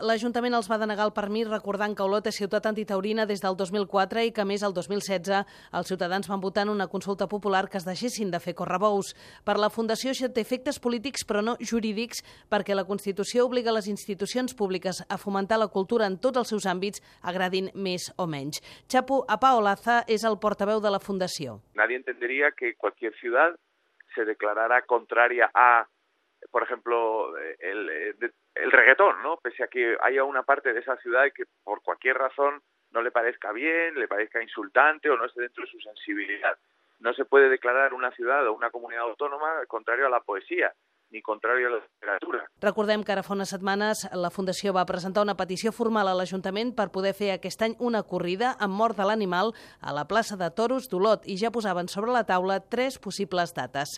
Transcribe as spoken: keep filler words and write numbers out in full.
L'Ajuntament els va denegar el permís recordant que Olot és ciutat antitaurina des del dos mil quatre i que, a més, el dos mil setze els ciutadans van votar en una consulta popular que es deixessin de fer correbous. Per la Fundació això té efectes polítics però no jurídics perquè la Constitució obliga les institucions públiques a fomentar la cultura en tots els seus àmbits, agradin més o menys. Chapu Apaolaza és el portaveu de la Fundació. Nadie entendería que cualquier ciudad se declarara contraria a, por ejemplo, el, el, el reggaetón, ¿no? Pese a que haya una parte de esa ciudad que por cualquier razón no le parezca bien, le parezca insultante o no esté dentro de su sensibilidad. No se puede declarar una ciudad o una comunidad autónoma contrario a la poesía ni contrario a la literatura. Recordem que ara fa unes setmanes la Fundació va presentar una petició formal a l'Ajuntament per poder fer aquest any una corrida amb mort de l'animal a la plaça de Toros d'Olot i ja posaven sobre la taula tres possibles dates.